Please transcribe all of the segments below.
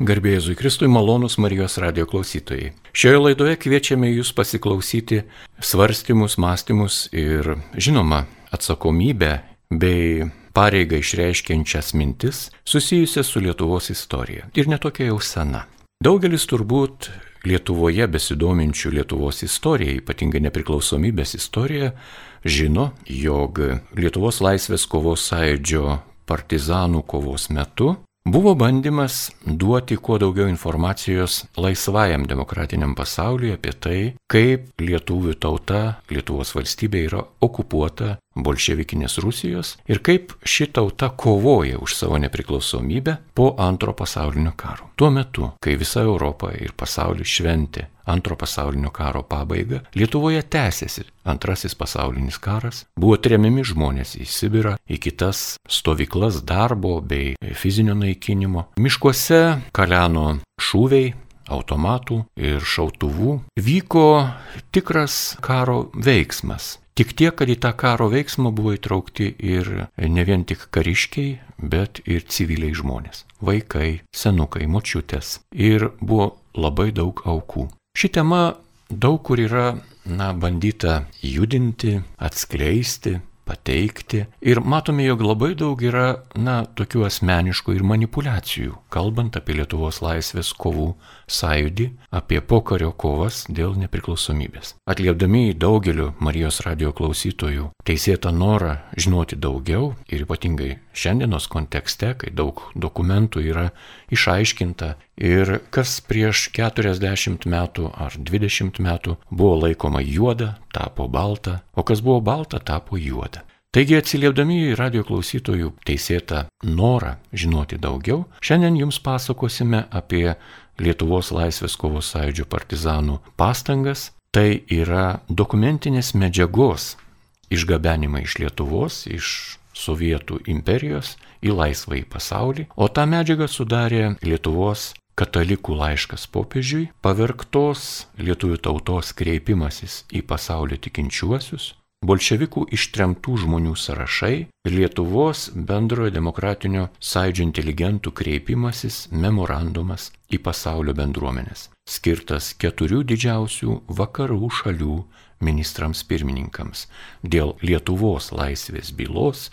Garbė Jėzui Kristui, malonūs Marijos radijo klausytojai. Šioje laidoje kviečiame jūs pasiklausyti svarstymus, mąstymus ir, žinoma, atsakomybę bei pareigą išreiškiančias mintis susijusias su Lietuvos istorija. Ir netokia jau sena. Daugelis turbūt Lietuvoje besidominčių Lietuvos istoriją, ypatingai nepriklausomybės istoriją, žino, jog Lietuvos laisvės kovos sąjūdžio partizanų kovos metu buvo bandymas duoti kuo daugiau informacijos laisvajam demokratiniam pasauliui apie tai, kaip lietuvių tauta, Lietuvos valstybė yra okupuota bolševikinės Rusijos ir kaip ši tauta kovoja už savo nepriklausomybę po Antro pasaulinio karo. Tuo metu, kai visa Europa ir pasaulis šventė Antro pasaulinio karo pabaigą, Lietuvoje tęsėsi Antrasis pasaulinis karas, buvo tremiami žmonės į Sibirą, į kitas stovyklas darbo bei fizinio naikinimo. Miškuose kaleno šūviai, automatų ir šautuvų. Vyko tikras karo veiksmas. Tik tiek, kad į tą karo veiksmą buvo įtraukti ir ne vien tik kariškiai, bet ir civiliai žmonės. Vaikai, senukai, močiutės. Ir buvo labai daug aukų. Ši tema daug kur yra bandyta judinti, atskleisti, pateikti. Ir matome, jog labai daug yra tokių asmeniškų ir manipulacijų, kalbant apie Lietuvos laisvės kovų sąjūdį, apie pokario kovas dėl nepriklausomybės. Atliepdami į daugelio Marijos radijo klausytojų teisėtą norą žinoti daugiau ir ypatingai šiandienos kontekste, kai daug dokumentų yra išaiškinta ir kas prieš 40 metų ar 20 metų buvo laikoma juoda, tapo balta, o kas buvo balta, tapo juoda. Taigi atsiliepdami į radijo klausytojų teisėtą norą žinoti daugiau, šiandien jums pasakosime apie Lietuvos laisvės kovos sąjūdžio partizanų pastangas. Tai yra dokumentinės medžiagos išgabenimai iš Lietuvos, iš Sovietų imperijos į laisvąjį pasaulį, o tą medžiagą sudarė Lietuvos katalikų laiškas popiežiui, pavergtos lietuvių tautos kreipimasis į pasaulio tikinčiuosius, bolševikų ištremtų žmonių sąrašai ir Lietuvos bendrojo demokratinio sąjūdžio inteligentų kreipimasis memorandumas į pasaulio bendruomenės, skirtas 4 didžiausių vakarų šalių ministrams pirmininkams dėl Lietuvos laisvės bylos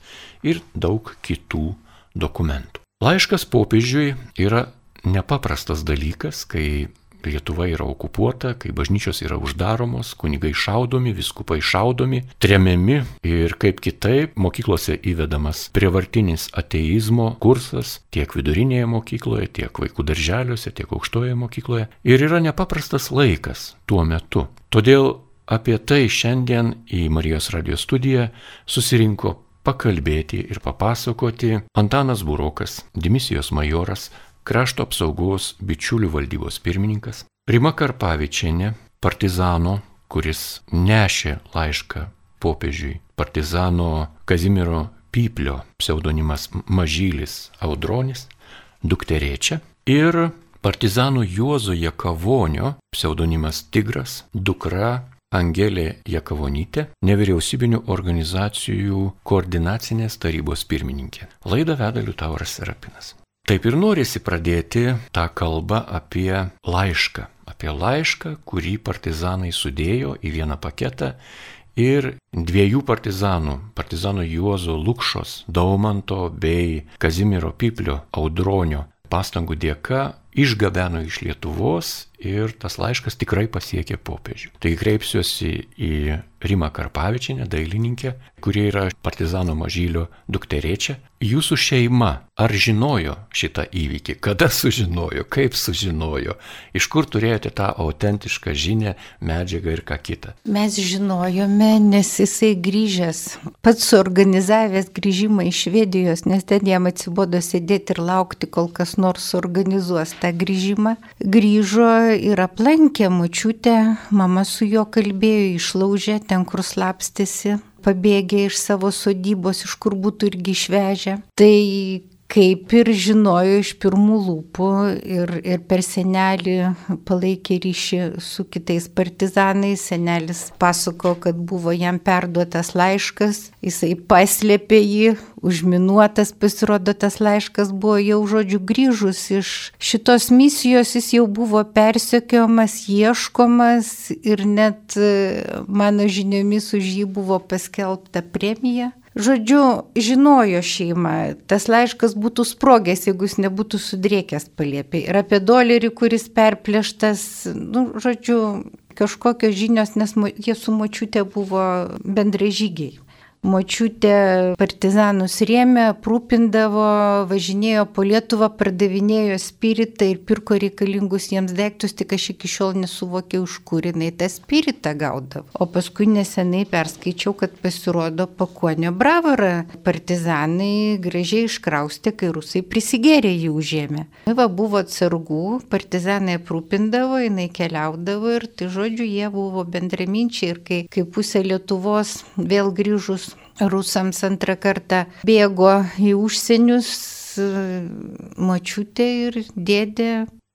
ir daug kitų dokumentų. Laiškas popiežiui yra nepaprastas dalykas, kai Lietuva yra okupuota, kai bažnyčios yra uždaromos, kunigai šaudomi, vyskupai šaudomi, tremiami ir kaip kitaip mokyklose įvedamas prievartinis ateizmo kursas tiek vidurinėje mokykloje, tiek vaikų darželiuose, tiek aukštoje mokykloje. Ir yra nepaprastas laikas tuo metu. Todėl apie tai šiandien į Marijos radijo studiją susirinko pakalbėti ir papasakoti Antanas Burokas, dimisijos majoras, Krašto apsaugos bičiulių valdybos pirmininkas, Rima Karpavičienė, partizano, kuris nešė laišką popiežiui, partizano Kazimiero Pyplio, pseudonimas Mažylis Audronis, dukterėčia, ir partizano Juozo Jakavonio, pseudonimas Tigras, dukra Angelė Jakavonytė, nevyriausybinių organizacijų koordinacinės tarybos pirmininkė. Laidą veda Liutauras Serapinas. Taip ir norisi pradėti tą kalbą apie laišką, kurį partizanai sudėjo į vieną paketą ir 2 partizano Juozo Lukšos, Daumanto bei Kazimiero Pyplio Audronio pastangų dėka išgabeno iš Lietuvos ir tas laiškas tikrai pasiekė popiežių. Tai kreipsiuosi į Rimą Karpavičienę, dailininkę, kuri yra partizano Mažylio dukterėčia. Jūsų šeima ar žinojo šitą įvykį? Kada sužinojo? Kaip sužinojo? Iš kur turėjote tą autentišką žinią, medžiagą ir ką kitą? Mes žinojome, nes jisai grįžęs, pats suorganizavęs grįžimą iš Švedijos, nes ten jam atsibodo sėdėti ir laukti, kol kas nors suorganizuos tą grįžimą. Grįžo ir aplankė močiutę, mama su juo kalbėjo, išlaužė ten, kur slapstėsi, pabėgė iš savo sodybos, iš kur būtų irgi išvežę. Tai kaip ir žinojo iš pirmų lūpų ir per senelį palaikė ryšį su kitais partizanais. Senelis pasako, kad buvo jam perduotas laiškas, jisai paslėpė jį, užminuotas, pasirodo, tas laiškas buvo jau, žodžiu, grįžus iš šitos misijos, jis jau buvo persekiojamas, ieškomas ir net mano žiniomis už jį buvo paskelbta premija. Žodžiu, žinojo šeima, tas laiškas būtų sprogęs, jeigu jis nebūtų sudrėkęs palėpėj. Ir apie dolerį, kuris perplėštas, žodžiu, kažkokios žinios, nes jie su močiute buvo bendražygiai. Močiutė partizanus rėmė, aprūpindavo, važinėjo po Lietuvą, pardavinėjo spiritą ir pirko reikalingus jiems daiktus, tik aš iki šiol nesuvokiau, iš kur jinai tą spiritą gaudavo. O paskui nesenai perskaičiau, kad pasirodo Pakuonio Bravorą partizanai gražiai iškraustė, kai rusai prisigėrė jį užėmė. Buvo atsargų, partizanai aprūpindavo, jinai keliaudavo ir tai žodžiu, jie buvo bendraminčiai ir kai pusė Lietuvos vėl grįžus rusams antrą kartą bėgo į užsienius, močiutė ir dėdė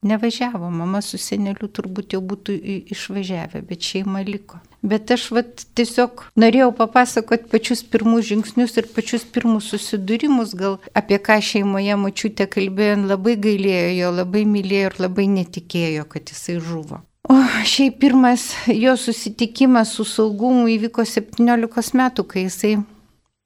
nevažiavo, mama su seneliu turbūt jau būtų išvažiavę, bet šeima liko. Bet aš tiesiog norėjau papasakoti pačius pirmus žingsnius ir pačius pirmus susidūrimus, gal apie ką šeimoje močiutė kalbėjo, labai gailėjo jo, labai mylėjo ir labai netikėjo, kad jisai žuvo. O šiaip pirmas jo susitikimas su saugumu įvyko 17 metų, kai jisai,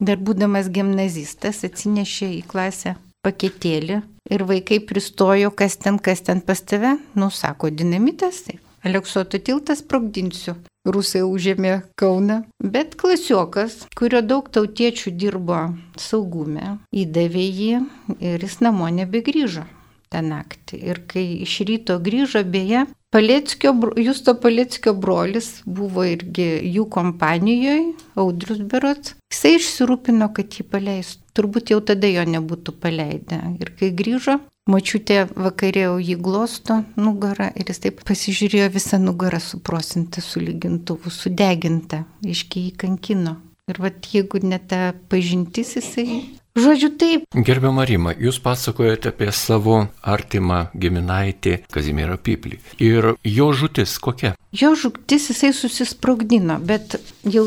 dar būdamas gimnazistas, atsinešė į klasę paketėlį ir vaikai pristojo, kas ten pas tave, sako, dinamitas, tai Aleksoto tiltą sprogdinsiu. Rusai užėmė Kauną, bet klasiokas, kurio daug tautiečių dirbo saugume, įdavė jį ir jis namo nebegrįžo tą naktį. Ir kai iš ryto grįžo, beje, Justo Paleckio brolis buvo irgi jų kompanijoje, Audrius berods. Jisai išsirūpino, kad jį paleistų. Turbūt jau tada jo nebūtų paleidę. Ir kai grįžo, močiutė vakarėjo jį glosto nugarą ir jis taip pasižiūrėjo, visą nugarą suprosinta su lygintuvu, sudeginta, iškiai kankino. Ir jeigu ne ta pažintis, jisai... Žodžiu, taip. Gerbiama Rima, jūs pasakojate apie savo artimą giminaitį Kazimierą Pyplį. Ir jo žūtis kokia? Jo žūtis jisai susisprogdino, bet jau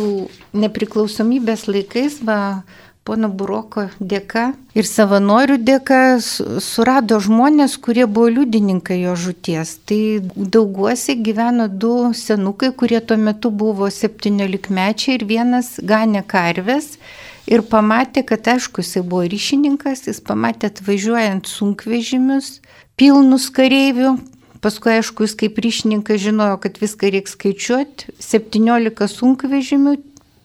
nepriklausomybės laikais, pono Buroko dėka ir savanorių dėka surado žmonės, kurie buvo liudininkai jo žūties. Tai Dauguose gyveno 2 senukai, kurie tuo metu buvo 17-mečiai ir vienas ganė karves. Ir pamatė, kad aišku, jisai buvo ryšininkas, jis pamatė atvažiuojant sunkvežimius, pilnus kareivių. Paskui, aišku, jis kaip ryšininkas žinojo, kad viską reikia skaičiuoti. 17 sunkvežimių,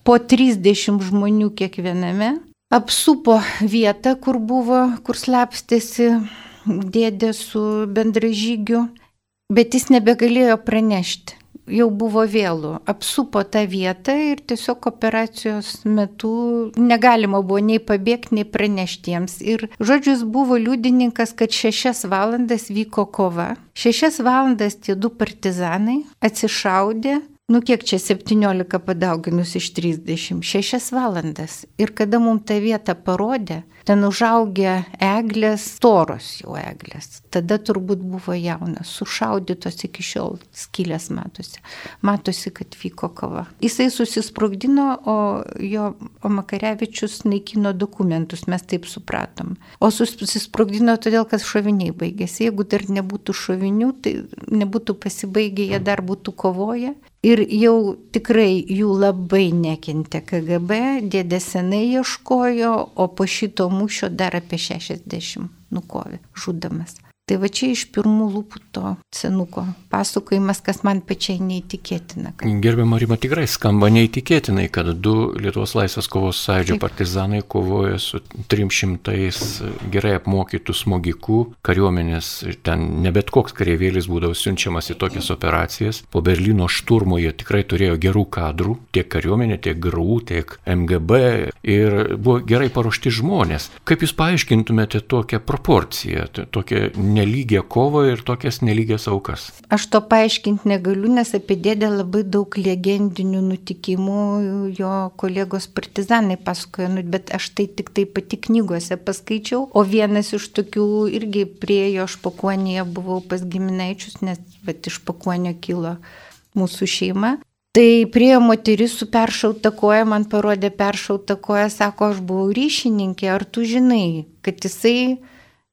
po 30 žmonių kiekviename. Apsupo vietą, kur slapstėsi dėdė su bendražygiu, bet jis nebegalėjo pranešti. Jau buvo vėlu, apsupo tą vietą ir tiesiog operacijos metu negalima buvo nei pabėgti, nei pranešti jiems. Ir žodžiu, jis buvo liudininkas, kad 6 valandas vyko kova. 6 valandas tie 2 partizanai atsišaudė, kiek čia 17 padauginus iš 30, 6 valandas. Ir kada mums tą vietą parodė, ten užaugę eglės, storos jau eglės. Tada turbūt buvo jaunas, sušaudytos iki šiol, skylės matosi. Matosi, kad vyko kova. Jisai susisprogdino, o Makarevičius naikino dokumentus, mes taip supratom. O susisprogdino todėl, kad šoviniai baigėsi. Jeigu dar nebūtų šovinių, tai nebūtų pasibaigę, jie dar būtų kovoję. Ir jau tikrai jų labai nekentė KGB, dėdė senai ieškojo, o po šito mūšio dar apie 60 nukovė, žudamas. Tai va čia iš pirmų lūpų to senuko pasakojimas, kas man pačiai neįtikėtina. Gerbiama Rima, tikrai skamba neįtikėtinai, kad 2 Lietuvos laisvės kovos sąjūdžio partizanai kovoja su 300 gerai apmokytų smogikų kariuomenės. Ten ne bet koks kareivėlis būdavo siunčiamas į tokias operacijas. Po Berlyno šturmo jie tikrai turėjo gerų kadrų, tiek kariuomenė, tiek GRU, tiek MGB ir buvo gerai paruošti žmonės. Kaip jūs paaiškintumėte tokią proporciją, tokią nelygią kovą ir tokias nelygias aukas. Aš to paaiškinti negaliu, nes apie dėdę labai daug legendinių nutikimų jo kolegos partizanai pasakojo, bet aš tai tik tai pati knygose paskaičiau, o vienas iš tokių irgi priejo, aš Pakuonėje buvau pas giminaičius, nes iš Pakuonio kilo mūsų šeima. Tai priejo moteris su peršauta koja, man parodė peršautą koją, sako, aš buvau ryšininkė, ar tu žinai, kad jisai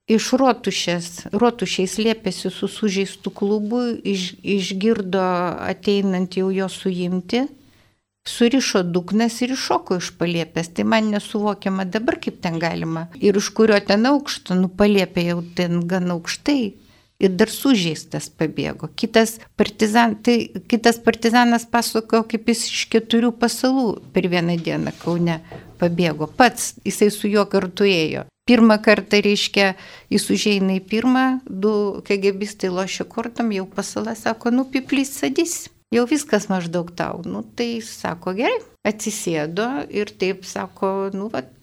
iš rotušiai slėpėsi su sužeistu klubu, išgirdo ateinant jau jo suimti, surišo dugnas ir iššoko iš palėpės. Tai man nesuvokiama dabar, kaip ten galima. Ir iš kurio ten aukšto, palėpė jau ten gan aukštai. Ir dar sužeistas pabėgo. Kitas partizanas pasakojo, kaip jis iš 4 pasalų per vieną dieną Kaune pabėgo. Pats jisai su juo kartu ėjo. Pirmą kartą, reiškia, jis užeina į pirmą, 2 KGBistai lošia kortom, jau pasala sako, piplys sadys. Jau viskas maždaug tau. Tai sako, gerai, atsisėdo ir taip sako,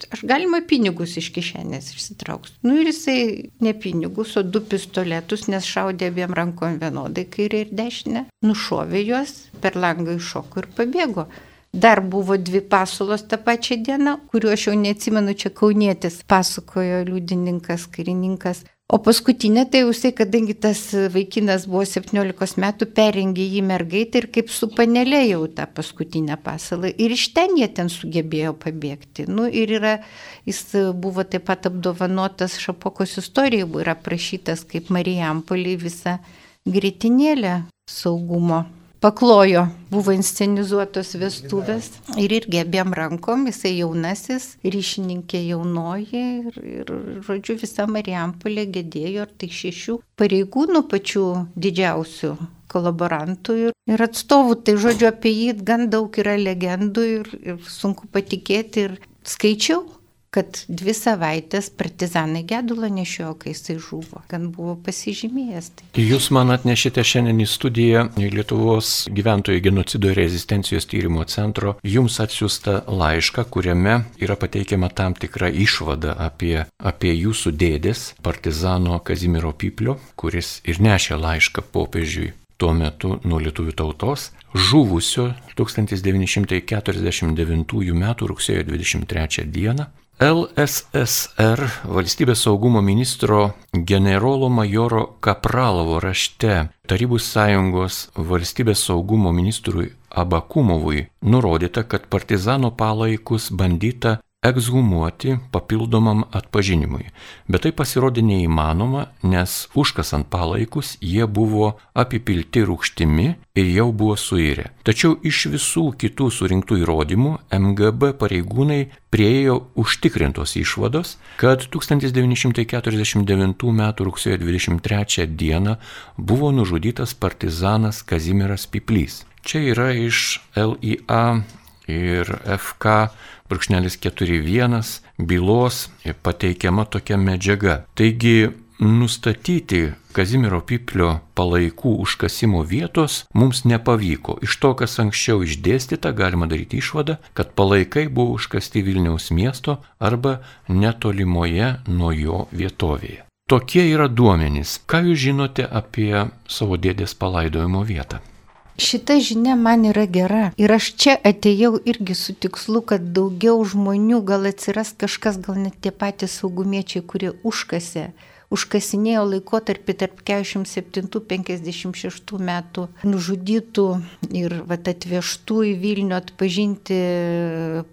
aš galima pinigus iš kišenės išsitrauksiu. Ir jisai ne pinigus, o 2 pistoletus, nes šaudė abiem rankom vienodai, kairė ir dešinė, nušovė juos, per langą iššoko ir pabėgo. Dar buvo 2 pasalos tą pačią dieną, kuriuo aš jau neatsimenu, čia kaunietis pasakojo liudininkas, karininkas. O paskutinė, tai jisai, kadangi tas vaikinas buvo 17 metų, perrengė jį mergaitę ir kaip su panelė jau tą paskutinę pasalą. Ir iš ten jie ten sugebėjo pabėgti. Ir jis buvo taip pat apdovanotas Šapokos istorijoje, yra aprašytas kaip Marijampolėje visa grietinėlė saugumo. Paklojo, buvo inscenizuotos vestuvės ir irgi abiem rankom, jisai jaunasis, ryšininkė jaunoji ir žodžiu, visa Marijampolė gedėjo, tai 6 pareigūnų pačių didžiausių kolaborantų ir atstovų, tai žodžiu, apie jį gan daug yra legendų ir sunku patikėti ir skaičiau, kad 2 savaitės partizanai gedulą nešiojo, kai jisai žuvo, gan buvo pasižymėjęs. Jūs man atnešite šiandien į studiją Lietuvos gyventojų genocido ir rezistencijos tyrimo centro jums atsiųstą laišką, kuriame yra pateikiama tam tikra išvada apie jūsų dėdės, partizano Kazimiero Piplio, kuris ir nešė laišką popiežiui tuo metu nuo lietuvių tautos, žuvusio 1949 m. rugsėjo 23 d. LSSR valstybės saugumo ministro generolo majoro Kapralovo rašte Tarybų sąjungos valstybės saugumo ministrui Abakumovui nurodyta, kad partizano palaikus bandyta ekshumuoti papildomam atpažinimui. Bet tai pasirodė neįmanoma, nes užkasant palaikus jie buvo apipilti rūgštimi ir jau buvo suirę. Tačiau iš visų kitų surinktų įrodymų MGB pareigūnai priėjo užtikrintos išvados, kad 1949 m. rugsėjo 23 d. buvo nužudytas partizanas Kazimieras Piplys. Čia yra iš LIA ir FK.41 bylos pateikiama tokia medžiaga. Taigi, nustatyti Kazimiero Piplio palaikų užkasimo vietos mums nepavyko. Iš to, kas anksčiau išdėstyta, galima daryti išvadą, kad palaikai buvo užkasti Vilniaus miesto arba netolimoje nuo jo vietovėje. Tokie yra duomenys. Ką jūs žinote apie savo dėdės palaidojimo vietą? Šita žinia man yra gera ir aš čia atėjau irgi su tikslu, kad daugiau žmonių gal atsiras kažkas, gal net tie patys saugumiečiai, kurie užkasinėjo laikotarpį tarp 47-56 metų nužudytų ir atvežtų į Vilnių atpažinti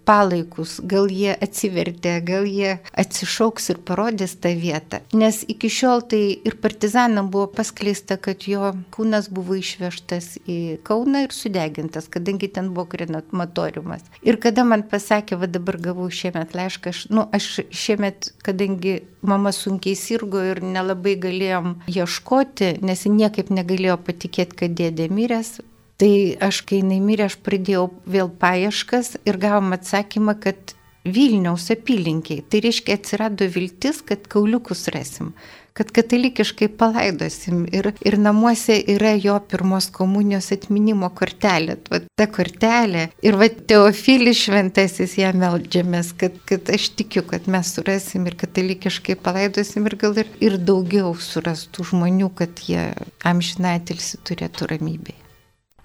palaikus. Gal jie atsivertė, gal jie atsišauks ir parodys tą vietą. Nes iki šiol tai ir partizanam buvo paskleista, kad jo kūnas buvo išvežtas į Kauną ir sudegintas, kadangi ten buvo krematoriumas. Ir kada man pasakė, dabar gavau šiemet laišką, aš šiemet, kadangi mama sunkiai sirgo ir nelabai galėjom ieškoti, nes niekaip negalėjo patikėti, kad dėdė miręs. Tai aš, kai jinai mirė, aš pradėjau vėl paieškas ir gavom atsakymą, kad Vilniaus apylinkiai. Tai reiškia, atsirado viltis, kad kauliukus rasim. kad katalikiškai palaidosim. Ir namuose yra jo pirmos komunijos atminimo kortelė. Va, ta kortelė. Ir va, Teofilis šventasis, ją meldžiamės, kad aš tikiu, kad mes surasim ir katalikiškai palaidosim ir gal ir daugiau surastų žmonių, kad jie amžiną atilsį turėtų ramybėje.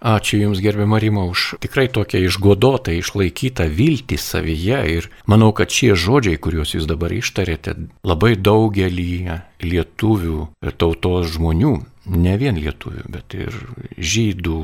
Ačiū Jums, gerbiama Rima, už tikrai tokią išgodotą, išlaikytą viltį savyje ir manau, kad šie žodžiai, kuriuos Jūs dabar ištarėte, labai daugelį lietuvių ir tautos žmonių, ne vien lietuvių, bet ir žydų,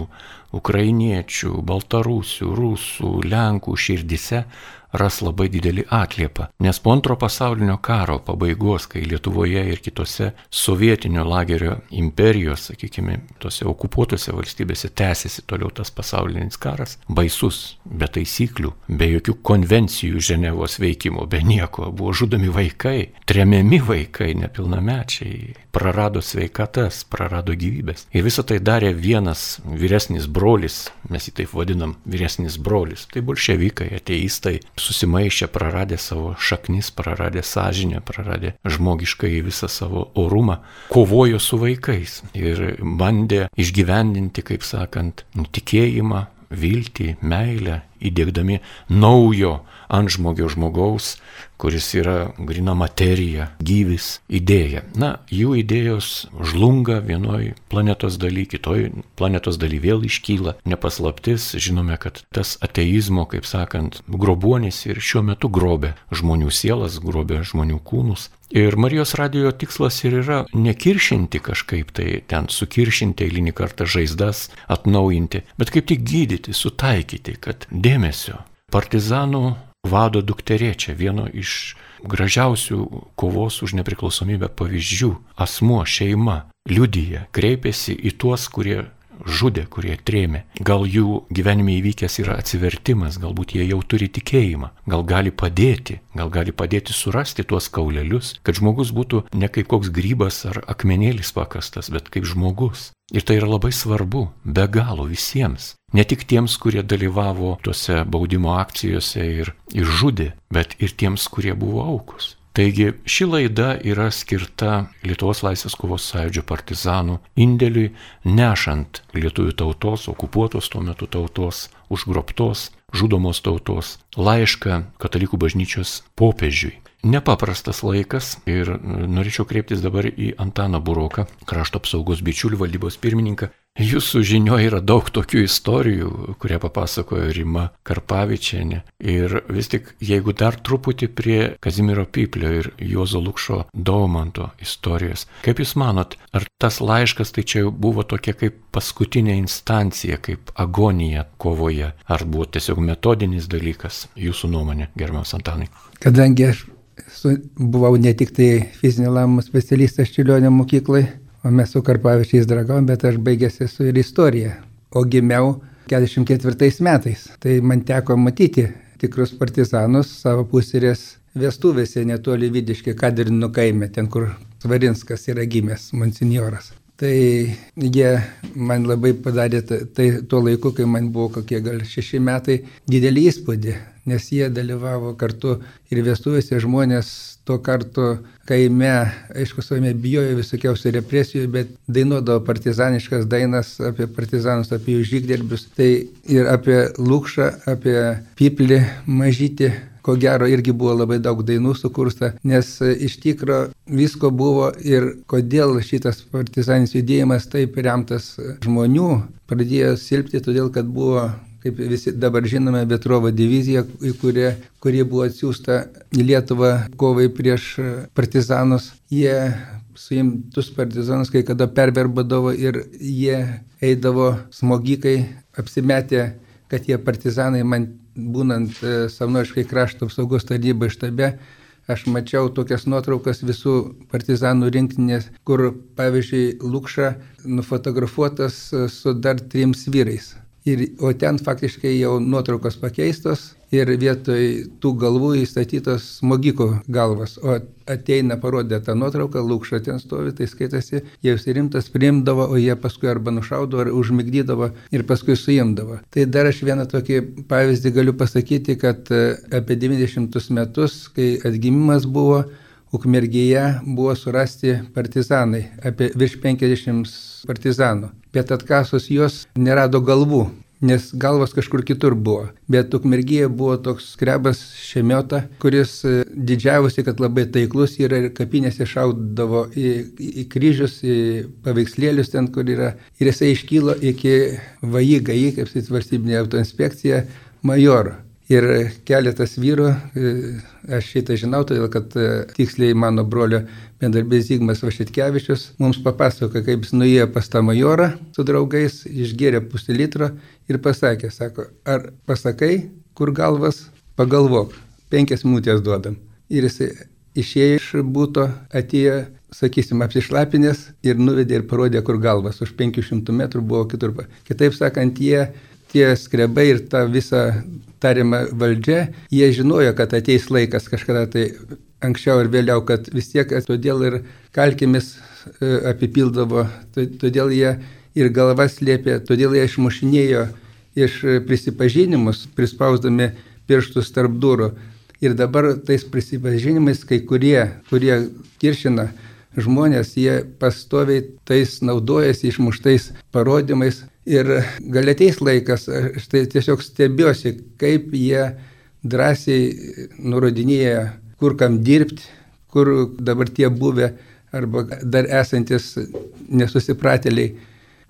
ukrainiečių, baltarusių, rusų, lenkų širdise ras labai didelį atliepą. Nes po Antro pasaulinio karo pabaigos, kai Lietuvoje ir kitose sovietinio lagerio imperijos, sakykime, tose okupuotose valstybėse tęsiasi toliau tas pasaulinis karas, baisus, be taisyklių, be jokių konvencijų Ženevos veikimo, be nieko, buvo žudomi vaikai, tremiami vaikai, nepilnamečiai, prarado sveikatas, prarado gyvybės. Ir visą tai darė vienas vyresnis brolis, mes jį taip vadinam, vyresnis brolis. Tai bolševikai, ateistai, susimaišę, praradę savo šaknis, praradę sąžinę, praradę žmogiškai visą savo orumą, kovojo su vaikais ir bandė išgyvendinti, kaip sakant, tikėjimą, viltį, meilę, įdėkdami naujo antžmogio žmogaus, kuris yra grina materija, gyvis, idėja. Na, jų idėjos žlunga vienoj planetos daly, kitoj planetos daly vėl iškyla. Nepaslaptis, žinome, kad tas ateizmo, kaip sakant, grobuonis ir šiuo metu grobia žmonių sielas, grobia žmonių kūnus. Ir Marijos radijo tikslas ir yra nekiršinti kažkaip tai, ten sukiršinti eilinį kartą žaizdas, atnaujinti, bet kaip tik gydyti, sutaikyti, kad dėmesio. Partizanų vado dukterėčia, vieno iš gražiausių kovos už nepriklausomybę pavyzdžių, asmuo, šeima, liudija, kreipiasi į tuos, kurie žudė, kurie trėmė. Gal jų gyvenime įvykęs yra atsivertimas, galbūt jie jau turi tikėjimą, gal gali padėti surasti tuos kaulelius, kad žmogus būtų ne kaip koks grybas ar akmenėlis pakastas, bet kaip žmogus. Ir tai yra labai svarbu, be galo visiems. Ne tik tiems, kurie dalyvavo tuose baudimo akcijose ir žudė, bet ir tiems, kurie buvo aukos. Taigi ši laida yra skirta Lietuvos laisvės kovos sąjūdžio partizanų indėliui, nešant lietuvių tautos, okupuotos tuo metu tautos, užgrobtos, žudomos tautos laišką katalikų bažnyčios popiežiui. Nepaprastas laikas ir norėčiau kreiptis dabar į Antaną Buroką, krašto apsaugos bičiulių valdybos pirmininką. Jūsų žinioje yra daug tokių istorijų, kurią papasakojo Rima Karpavičienė. Ir vis tik, jeigu dar truputį prie Kazimiero Pyplio ir Juozo Lukšo Daumanto istorijos, kaip Jūs manot, ar tas laiškas tai čia buvo tokia kaip paskutinė instancija, kaip agonija kovoje, ar buvo tiesiog metodinis dalykas, Jūsų nuomonė, gerbiamas Antanai? Kadangi aš buvau ne tik tai fizinio lavinimo specialistas Čiurlionio mokyklai, o mes su Karpavičiais draugavom, bet aš baigęs esu ir istoriją, o gimiau 44 metais. Tai man teko matyti tikrus partizanus savo pusės vestuvėse netoli Vidiškio Kadrino kaime, ten kur Svarinskas yra gimęs, monsinjoras. Tai jie man labai padarė tai tuo laiku, kai man buvo kokie gal 6 metai, didelį įspūdį, nes jie dalyvavo kartu ir vestuvėse, žmonės to kartu kaime, aišku, savame bijojo visokiausių represijų, bet dainuodavo partizaniškas dainas apie partizanus, apie jų žygderbius. Tai ir apie Lukšą, apie Pyplį mažytį, ko gero irgi buvo labai daug dainų sukursta, nes iš tikro visko buvo ir kodėl šitas partizaninis judėjimas taip remtas žmonių pradėjo silpti, todėl kad buvo, kaip visi dabar žinome, Vetrovo divizija, kuri buvo atsiųsta į Lietuvą kovai prieš partizanus. Jie suimtus partizanus kai kada perverbadavo ir jie eidavo smogikai, apsimetę, kad jie partizanai. Man būnant savanoriškai krašto apsaugos tarnybai štabe, aš mačiau tokias nuotraukas visų partizanų rinktinės, kur, pavyzdžiui, Lukša nufotografuotas su dar 3 vyrais. O ten faktiškai jau nuotraukos pakeistos ir vietoj tų galvų įstatytos smogiko galvas. O ateina parodė tą nuotrauką, Lukša ten stovi, tai skaitasi, jie rimtas priimdavo, o jie paskui arba nušaudavo, ar užmigdydavo ir paskui suimdavo. Tai dar aš vieną tokį pavyzdį galiu pasakyti, kad apie 90 metus, kai atgimimas buvo, Ukmergėje buvo surasti partizanai, apie virš 50 partizanų, bet atkasus juos nerado galvų, nes galvos kažkur kitur buvo. Bet Ukmergėje buvo toks skrebas Šemiota, kuris didžiavosi, kad labai taiklus yra ir kapinėse šaudavo į kryžius, į paveikslėlius ten, kur yra. Ir jisai iškylo iki VAI, kaip valstybinė autoinspekcija, majoro. Ir keletas vyrų, aš šitą žinau, todėl kad tiksliai mano brolio bendarbės Zigmas Vašetkevičius mums papasakojo, kaip jis nuėjo pas tą majorą su draugais, išgėrė pusę litro ir pasakė, sako, ar pasakai, kur galvas, pagalvok, 5 minutės duodam. Ir jis išėjo iš būto, atėjo, sakysim, apsišlapinės ir nuvedė ir parodė, kur galvas. Už 500 metrų buvo kitur. Kitaip sakant, tie skrebai ir ta visa tariama valdžia, jie žinojo, kad ateis laikas kažkada tai anksčiau ir vėliau, kad vis tiek todėl ir kalkėmis apipildavo, todėl jie ir galvas slėpė, todėl jie išmušinėjo iš prisipažinimus, prispausdami pirštus tarp durų. Ir dabar tais prisipažinimais, kai kurie kiršina žmonės, jie pastoviai tais naudojasi išmuštais parodymais. Ir gal ateis laikas, aš tai tiesiog stebiuosi, kaip jie drąsiai nurodinėja, kur kam dirbti, kur dabar tie buvę arba dar esantis nesusipratėliai.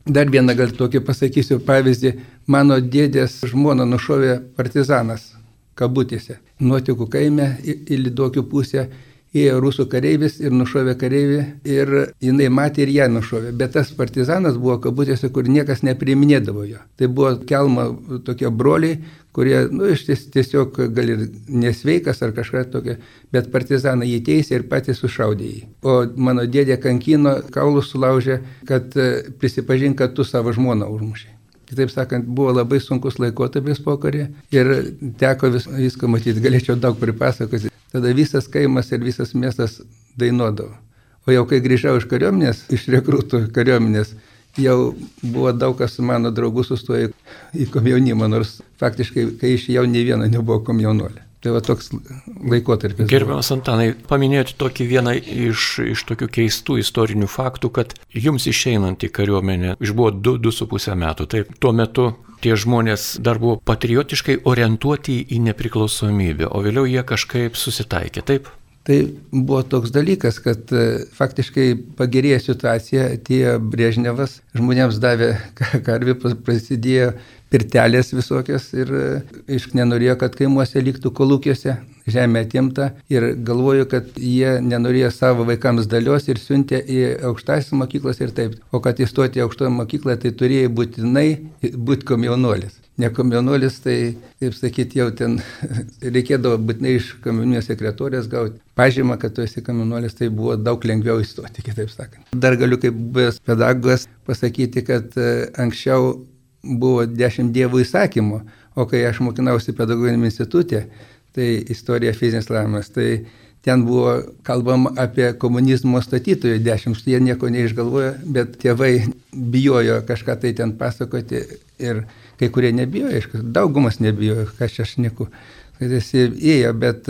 Dar vieną gal tokį pasakysiu pavyzdį. Mano dėdės žmona nušovė partizanas kabutėse. Nuotikų kaime į Lyduokių pusę ėjo rusų kareivis ir nušovė kareivį ir jinai matė ir ją nušovė. Bet tas partizanas buvo kabutėse, kur niekas nepriiminėdavo jo. Tai buvo Kelmo tokie broliai, kurie, iš tiesiog gal ir nesveikas ar kažką tokio, bet partizanai jį teisė ir patys sušaudė jį. O mano dėdė kankino, kaulus sulaužė, kad prisipažink, kad tu savo žmoną užmušė. Kitaip sakant, buvo labai sunkus laikotarpis pokarė ir teko viską matyti, galėčiau daug pripasakoti. Tada visas kaimas ir visas miestas dainuodavo. O jau kai grįžau iš kariuomenės, iš rekrutų kariuomenės, jau buvo daug kas su mano draugų sustoję į komjaunimą, nors faktiškai, kai išėjau, nei vieno nebuvo komjaunuolė. Tai va toks laikotarpis. Gerbiamas Antanai, paminėjote tokį vieną iš tokių keistų istorinių faktų, kad jums išeinant į kariuomenę išbuvo 2,5 metų. Taip, tuo metu tie žmonės dar buvo patriotiškai orientuoti į nepriklausomybę, o vėliau jie kažkaip susitaikė, taip? Tai buvo toks dalykas, kad faktiškai pagerėjo situacija, atėjo Brežnevas, žmonėms davė karvį, prasidėjo pirtelės visokios ir nenorėjo, kad kaimuose liktų kolūkiuose, žemė atimta ir galvoju, kad jie nenorėjo savo vaikams dalios ir siuntė į aukštąsias mokyklas ir taip. O kad įstoti į aukštoją mokyklą, tai turėjo būtinai būti komjaunuolis. Ne komjaunuolis, tai, kaip sakyti, jau ten reikėdavo būtinai iš komjaunuolio sekretorės gauti pažymą, kad tu esi komjaunuolis, tai buvo daug lengviau įstoti, kitaip sakant. Dar galiu kaip buvęs pedagogas pasakyti, kad anksčiau buvo 10 dievų įsakymų, o kai aš mokinausi pedagoginiame institute, tai istorija fizinis lavimas, tai ten buvo kalbama apie komunizmo statytojų 10, jie nieko neišgalvojo, bet tėvai bijojo kažką tai ten pasakoti ir kai kurie nebijojo, daugumas nebijojo, ką čia aš šneku, kad jis ėjo, bet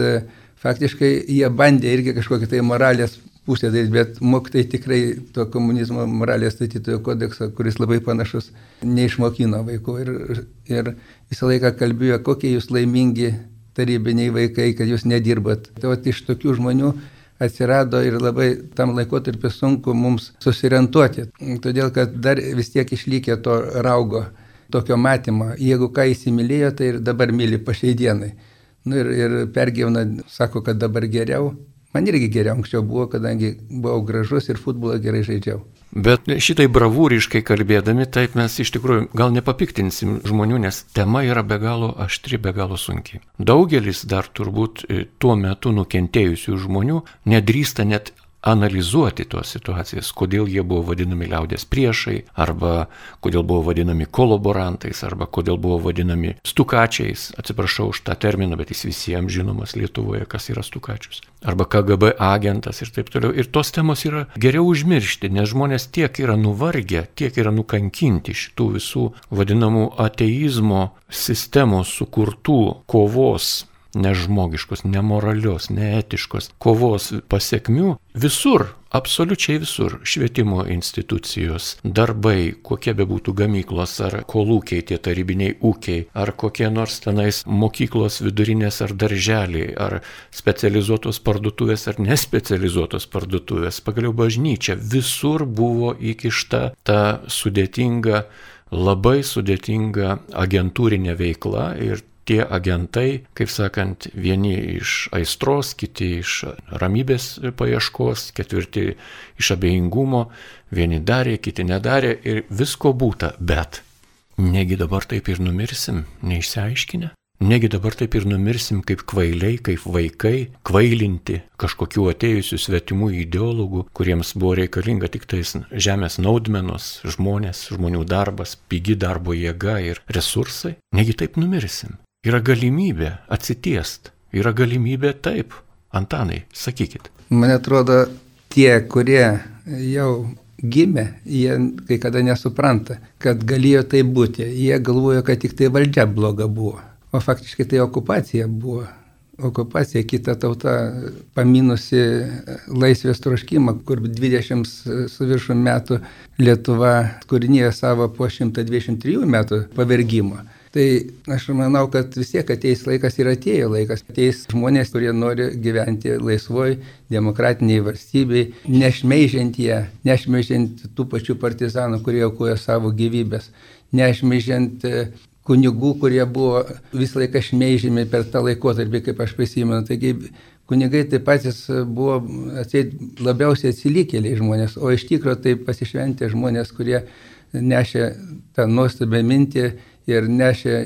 faktiškai jie bandė irgi kažkokį tai moralės pusę daryti, bet mokytojai tikrai to komunizmo moralės statytojų kodekso, kuris labai panašus, neišmokino vaikų ir visą laiką kalbėjo, kokie jūs laimingi tarybiniai vaikai, kad jūs nedirbat. Tai iš tokių žmonių atsirado ir labai tam laikotarpiu sunku mums susiorientuoti, todėl kad dar vis tiek išlikė to raugo, tokio matymo. Jeigu ką įsimylėjo, tai ir dabar myli po šiai dienai. Ir pergyvena, sako, kad dabar geriau. Man irgi geriau anksčiau buvo, kadangi buvau gražus ir futbolą gerai žaidžiau. Bet šitai bravūriškai kalbėdami, taip mes iš tikrųjų gal nepapiktinsim žmonių, nes tema yra be galo aštri, be galo sunki. Daugelis dar turbūt tuo metu nukentėjusių žmonių nedrįsta net analizuoti tos situacijas, kodėl jie buvo vadinami liaudės priešai, arba kodėl buvo vadinami kolaborantais, arba kodėl buvo vadinami stukačiais. Atsiprašau už tą terminą, bet jis visiems žinomas Lietuvoje, kas yra stukačius. Arba KGB agentas ir taip toliau. Ir tos temos yra geriau užmiršti, nes žmonės tiek yra nuvargę, tiek yra nukankinti šitų visų vadinamų ateizmo sistemos sukurtų kovos nežmogiškos, nemoralios, neetiškos kovos pasekmių visur, absoliučiai visur, švietimo institucijos, darbai, kokie bebūtų gamyklos ar kolūkiai, tie tarybiniai ūkiai, ar kokie nors tenais mokyklos vidurinės ar darželiai, ar specializuotos parduotuvės ar nespecializuotos parduotuvės, pagaliau bažnyčia, visur buvo įkišta ta sudėtinga, labai sudėtinga agentūrinė veikla ir tie agentai, kaip sakant, vieni iš aistros, kiti iš ramybės paieškos, ketvirti iš abejingumo, vieni darė, kiti nedarė ir visko būta, bet negi dabar taip ir numirsim, neišsiaiškinę? Negi dabar taip ir numirsim kaip kvailiai, kaip vaikai, kvailinti kažkokių atėjusių svetimų ideologų, kuriems buvo reikalinga tik tais žemės naudmenos, žmonės, žmonių darbas, pigi darbo jėga ir resursai? Negi taip numirsim? Yra galimybė atsitiest, yra galimybė taip. Antanai, sakykit. Man atrodo, tie, kurie jau gimė, jie kai kada nesupranta, kad galėjo tai būti. Jie galvojo, kad tik tai valdžia bloga buvo. O faktiškai tai okupacija buvo. Okupacija, kita tauta paminusi laisvės troškimą, kur 20 su viršum metų Lietuva kūrinėjo savo po 123 metų pavergimo. Tai aš manau, kad vis tiek ateis laikas ir atėjo laikas. Ateis žmonės, kurie nori gyventi laisvoj, demokratiniai valstybei, nešmeižiant ją, nešmeižiant tų pačių partizanų, kurie aukojo savo gyvybės, nešmeižiant kunigų, kurie buvo visą laiką šmeižiami per tą laikotarpį, kaip aš prisimenu. Taigi kunigai taip patys buvo labiausiai atsilikėliai žmonės, o iš tikro tai pasišventė žmonės, kurie nešė tą nuostabią mintį ir nešė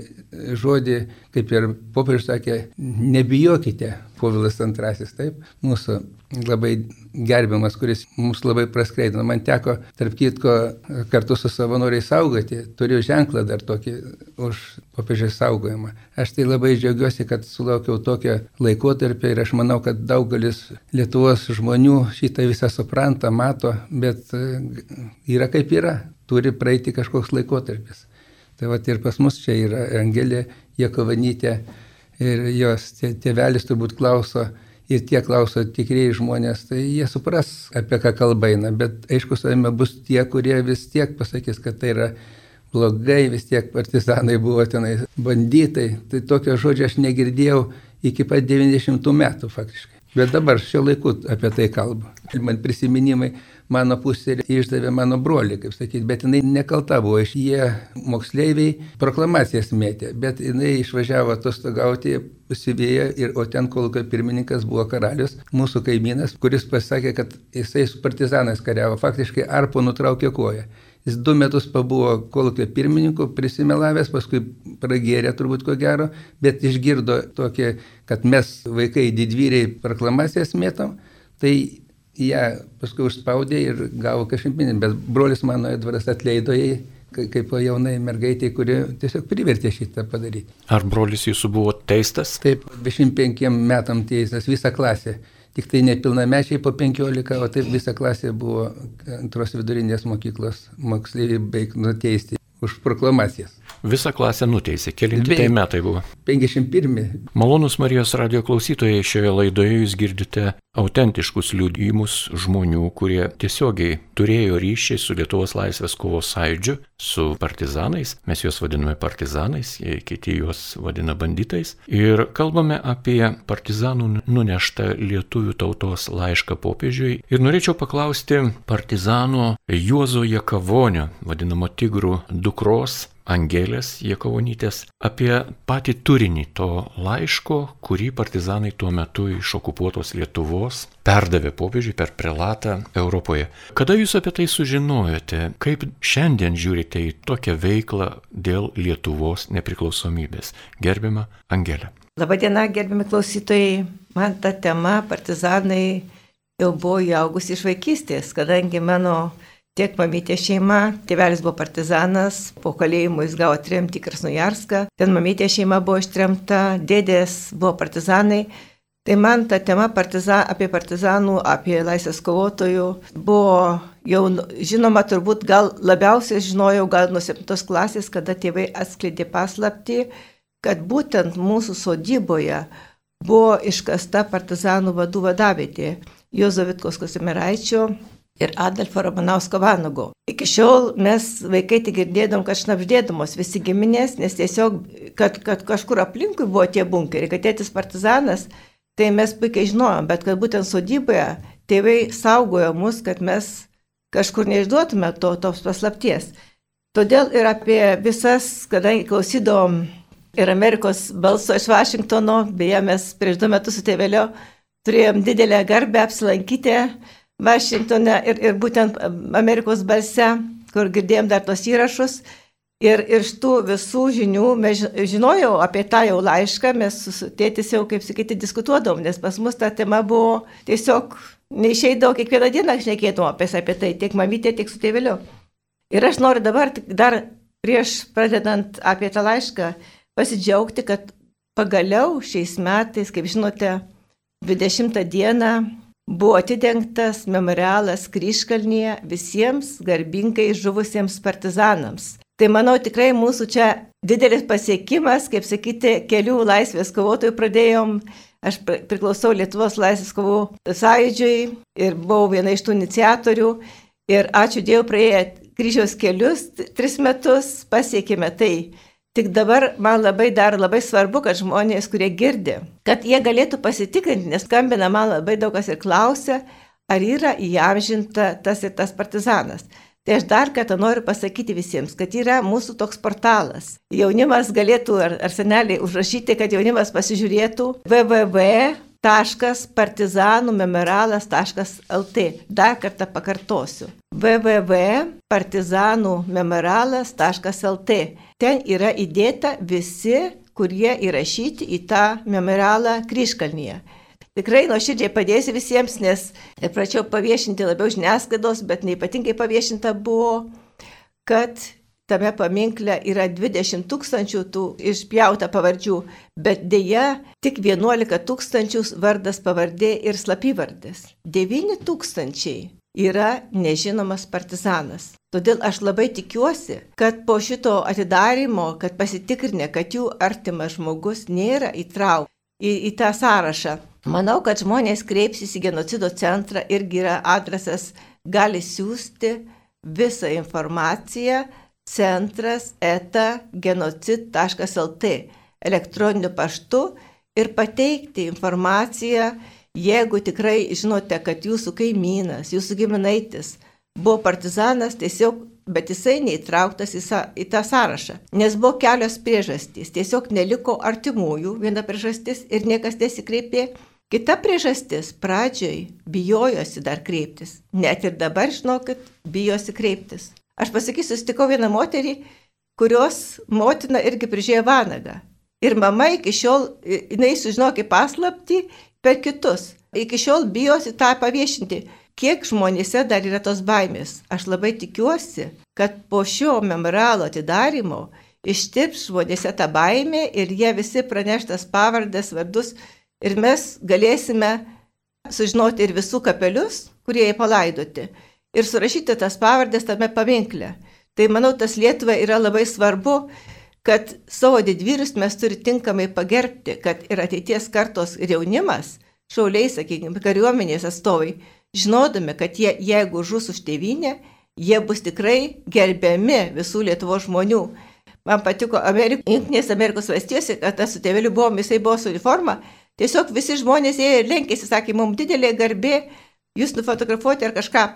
žodį, kaip ir popiežius sakė, nebijokite, Povilas II, taip, mūsų labai gerbiamas, kuris mums labai praskleidino. Man teko, tarp kitko, kartu su savanoriais saugoti, turiu ženklą dar tokį už popiežiaus saugojimą. Aš tai labai džiaugiuosi, kad sulaukiau tokio laikotarpio ir aš manau, kad daugelis Lietuvos žmonių šitą visą supranta, mato, bet yra kaip yra, turi praeiti kažkoks laikotarpis. Tai va ir pas mus čia yra Angelė Jakovanytė ir jos tėvelis turbūt klauso ir tie klauso tikrieji žmonės, tai jie supras, apie ką kalba eina, bet aišku, savime bus tie, kurie vis tiek pasakys, kad tai yra blogai, vis tiek partizanai buvo tenai banditai, tai tokio žodžio aš negirdėjau iki pat 90 metų faktiškai. Bet dabar šiuo laiku apie tai kalbu. Man prisiminimai, mano pusė išdavė mano brolį, kaip sakyti, bet jinai nekalta buvo, jie moksleiviai proklamacijas mėtė, bet jinai išvažiavo atostogauti, pasivėjo, o ten kolūkio pirmininkas buvo karalius, mūsų kaimynas, kuris pasakė, kad jisai su partizanais kariavo, faktiškai arpo nutraukė koją. Jis 2 metus pabuvo kolūkio pirmininku, prisimelavęs, paskui pragėrė turbūt ko gero, bet išgirdo tokį, kad mes vaikai didvyriai proklamacijas mėtom, tai ją paskui užspaudė ir gavo kažkaip, bet brolis mano Edvaras atleido jai, kaip jaunai mergaitė, kuri tiesiog privertė šitą padaryti. Ar brolis jūsų buvo teistas? Taip, 25 metam teistas, visa klasė. Tik tai nepilnamečiai po 15, o taip visa klasė buvo antros vidurinės mokyklos moksleiviai beveik nuteisti už proklamacijas. Visą klasę nuteisė. Kelinti tai metai buvo? 51. Malonūs Marijos radijo klausytojai, šioje laidoje jūs girdite autentiškus liudijimus žmonių, kurie tiesiogiai turėjo ryšį su Lietuvos laisvės kovos sąjūdžiu, su partizanais. Mes juos vadiname partizanais, kiti juos vadina banditais. Ir kalbame apie partizanų nuneštą lietuvių tautos laišką popiežiui. Ir norėčiau paklausti partizano Juozo Jakavonio, vadinamo Tigrų dukros, Angelės Jakavonytės, apie patį turinį to laiško, kurį partizanai tuo metu iš okupuotos Lietuvos perdavė popiežiui per prelatą Europoje. Kada jūs apie tai sužinojote? Kaip šiandien žiūrite į tokią veiklą dėl Lietuvos nepriklausomybės? Gerbiama Angelė. Labadiena, gerbiami klausytojai. Man ta tema partizanai jau buvo įaugusi iš vaikystės, kadangi mano tiek mamytė šeima, tėvelis buvo partizanas, po kalėjimo jis gavo tremtį į Krasnojarską, ten mamytė šeima buvo ištremta, dėdės buvo partizanai. Tai man ta tema apie partizanų, apie laisvės kovotojų buvo jau žinoma, turbūt gal labiausiai žinojau gal nuo 7 klasės, kada tėvai atskleidė paslaptį, kad būtent mūsų sodyboje buvo iškasta partizanų vadų vadavietė Juozo Vitkos Kazimieraičio ir Adolfo Ramanausko Vanago. Iki šiol mes vaikai tik girdėdom, kad šnabždėdamos visi giminės, nes tiesiog, kad kažkur aplinkui buvo tie bunkeriai, kad tėtis partizanas, tai mes puikiai žinojom, bet kad būtent sodyboje tėvai saugojo mus, kad mes kažkur neišduotume tos paslapties. Todėl ir apie visas, kadangi klausydom ir Amerikos balso iš Vašingtono, beje, mes prieš 2 metus su tėveliu turėjom didelę garbę apsilankyti Vašingtone ir būtent Amerikos balse, kur girdėjom dar tos įrašus. Ir iš tų visų žinių mes žinojau apie tą jau laišką, mes su tėtis jau, kaip sakyti, diskutuodom, nes pas mus ta tema buvo tiesiog neišeidavo, kiekvieną dieną šnekėtum apie tai, tiek mamytė, tiek su tėveliu. Ir aš noriu dabar, dar prieš pradedant apie tą laišką, pasidžiaugti, kad pagaliau šiais metais, kaip žinote, 20 dieną buvo atidengtas memorialas Kryžkalnyje visiems garbingai žuvusiems partizanams. Tai manau tikrai mūsų čia didelis pasiekimas, kaip sakyti, kelių laisvės kovotojų pradėjom. Aš priklausau Lietuvos laisvės kovų sąjūdžiui ir buvau viena iš tų iniciatorių. Ir ačiū Dievui, praėję kryžiaus kelius 3 metus pasiekėme tai. Tik dabar man labai svarbu, kad žmonės, kurie girdi, kad jie galėtų pasitikrinti, nes skambina man labai daug kas ir klausia, ar yra įamžinta tas ir tas partizanas. Tai aš dar kartą noriu pasakyti visiems, kad yra mūsų toks portalas. Jaunimas galėtų, ar seneliai užrašyti, kad jaunimas pasižiūrėtų www.partizanumemorialas.lt. Dar kartą pakartosiu. www.partizanumemorialas.lt. Ten yra įdėta visi, kurie įrašyti į tą memorialą Kryžkalnyje. Tikrai nuoširdžiai padėsiu visiems, nes prašiau paviešinti labiau žiniasklaidos, bet neypatingai paviešinta buvo, kad tame paminkle yra 20 000 tų išpjauta pavardžių, bet dėja tik 11 000 vardas pavardė ir slapyvardės. 9 000 yra nežinomas partizanas. Todėl aš labai tikiuosi, kad po šito atidarimo, kad pasitikrinę, kad jų artimas žmogus nėra įtrauktas į tą sąrašą. Manau, kad žmonės kreipsis į genocido centrą, irgi yra adresas, gali siūsti visą informaciją centras@genocid.lt elektroniniu paštu ir pateikti informaciją, jeigu tikrai žinote, kad jūsų kaimynas, jūsų giminaitis buvo partizanas, tiesiog, bet jisai neįtrauktas į tą sąrašą. Nes buvo kelios priežastys. Tiesiog neliko artimųjų, viena priežastis ir niekas nesikreipė. Kita priežastis, pradžioj bijojosi dar kreiptis. Net ir dabar, žinokit, bijosi kreiptis. Aš pasakysiu, sutikau vieną moterį, kurios motina irgi prižiūrėjo vanagą. Ir mama iki šiol, jinai sužinojo kaip paslaptį per kitus. Iki šiol bijosi tą paviešinti. Kiek žmonėse dar yra tos baimės? Aš labai tikiuosi, kad po šio memorialo atidarimo ištirps žmonėse tą baimę ir jie visi praneštas pavardės, vardus ir mes galėsime sužinoti ir visų kapelius, kurie jie palaidoti ir surašyti tas pavardės tame paminkle. Tai manau, tas Lietuvai yra labai svarbu, kad savo didvyrius mes turi tinkamai pagerbti, kad ir ateities kartos ir jaunimas, šauliai, sakykime, kariuomenės atstovai, žinodami, kad jie, jeigu žus už tėvynę, jie bus tikrai gerbiami visų Lietuvos žmonių. Man patiko Junktinės Amerikos valstijose, kad aš su tėveliu buvom, jisai buvo su uniforma, tiesiog visi žmonės ėjo ir lenkėsi, sakė, mums didelė garbė, jūs nufotografuoti ar kažką.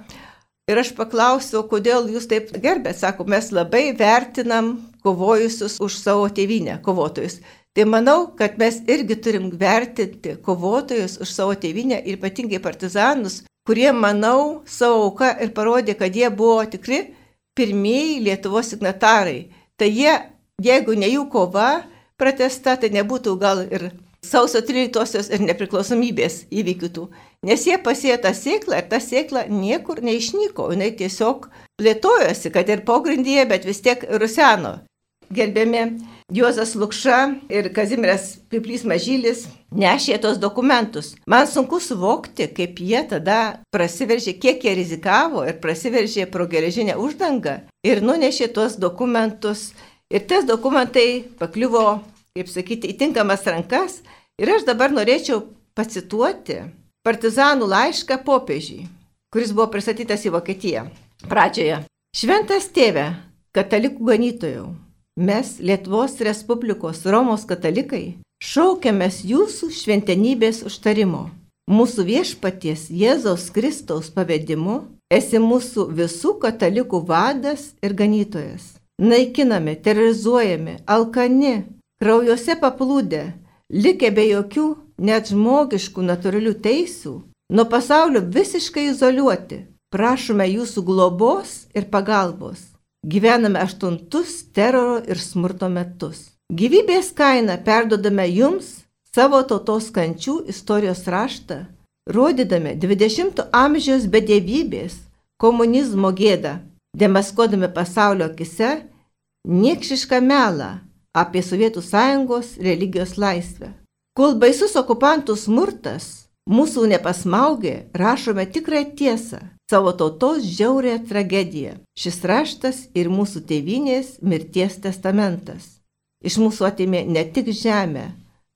Ir aš paklausiau, kodėl jūs taip gerbėt, sako, mes labai vertinam kovojusius už savo tėvynę, kovotojus. Tai manau, kad mes irgi turim vertinti kovotojus už savo tėvynę ir ypatingai partizanus, kurie, manau, savo auką ir parodė, kad jie buvo tikri pirmieji Lietuvos signatarai. Tai jie, jeigu ne jų kova pratęsta, tai nebūtų gal ir sausio 13-osios ir nepriklausomybės įvykių tų. Nes jie pasėjo tą sėklą ir ta sėkla niekur neišnyko, jinai tiesiog plėtojosi, kad ir pogrindyje, bet vis tiek ruseno. Gerbiami Juozas Lukša ir Kazimieras Piplys Mažylis nešė tos dokumentus. Man sunku suvokti, kaip jie tada prasiveržė, kiek jie rizikavo ir prasiveržė pro geležinę uždangą ir nunešė tos dokumentus. Ir tas dokumentai pakliuvo, kaip sakyti, į tinkamas rankas Ir aš dabar norėčiau pacituoti partizanų laišką popiežiui, kuris buvo pristatytas į Vokietiją. Pradžioje. Šventas tėve, katalikų ganytojau, mes Lietuvos Respublikos Romos katalikai šaukiamės jūsų šventenybės užtarimo. Mūsų viešpaties Jėzaus Kristaus pavedimu esi mūsų visų katalikų vadas ir ganytojas. Naikinami, terrorizuojami, alkani, kraujuose paplūdę, likę be jokių net žmogiškų natūralių teisių, nuo pasaulio visiškai izoliuoti, prašome jūsų globos ir pagalbos. Gyvename 8 teroro ir smurto metus. Gyvybės kainą perdodame jums savo tautos kančių istorijos raštą, rodydami 20 amžiaus bedevybės, komunizmo gėdą, demaskuodami pasaulio akise niekšišką melą apie Sovietų Sąjungos religijos laisvę. Kol baisus okupantų smurtas mūsų nepasmaugė, rašome tikrąją tiesą, savo tautos žiaurę tragediją. Šis raštas ir mūsų tėvynės mirties testamentas. Iš mūsų atėmė ne tik žemę,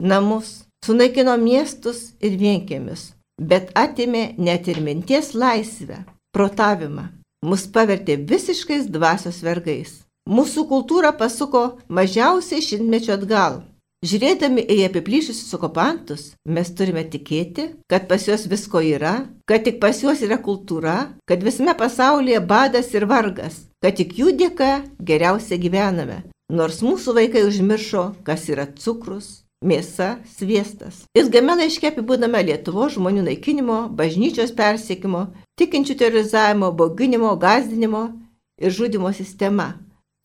namus, sunaikino miestus ir vienkiemius, bet atėmė net ir minties laisvę, protavimą. Mus pavertė visiškais dvasios vergais. Mūsų kultūra pasuko mažiausiai 100 metų atgal. Žiūrėdami į apiplyšusius okupantus, mes turime tikėti, kad pas juos visko yra, kad tik pas juos yra kultūra, kad visame pasaulyje badas ir vargas, kad tik jų dėka geriausia gyvename, nors mūsų vaikai užmiršo, kas yra cukrus, mėsa, sviestas. Ilgame laiške apibūdame Lietuvos žmonių naikinimo, bažnyčios persiekimo, tikinčių terorizavimo, bauginimo, gąsdinimo ir žudimo sistema,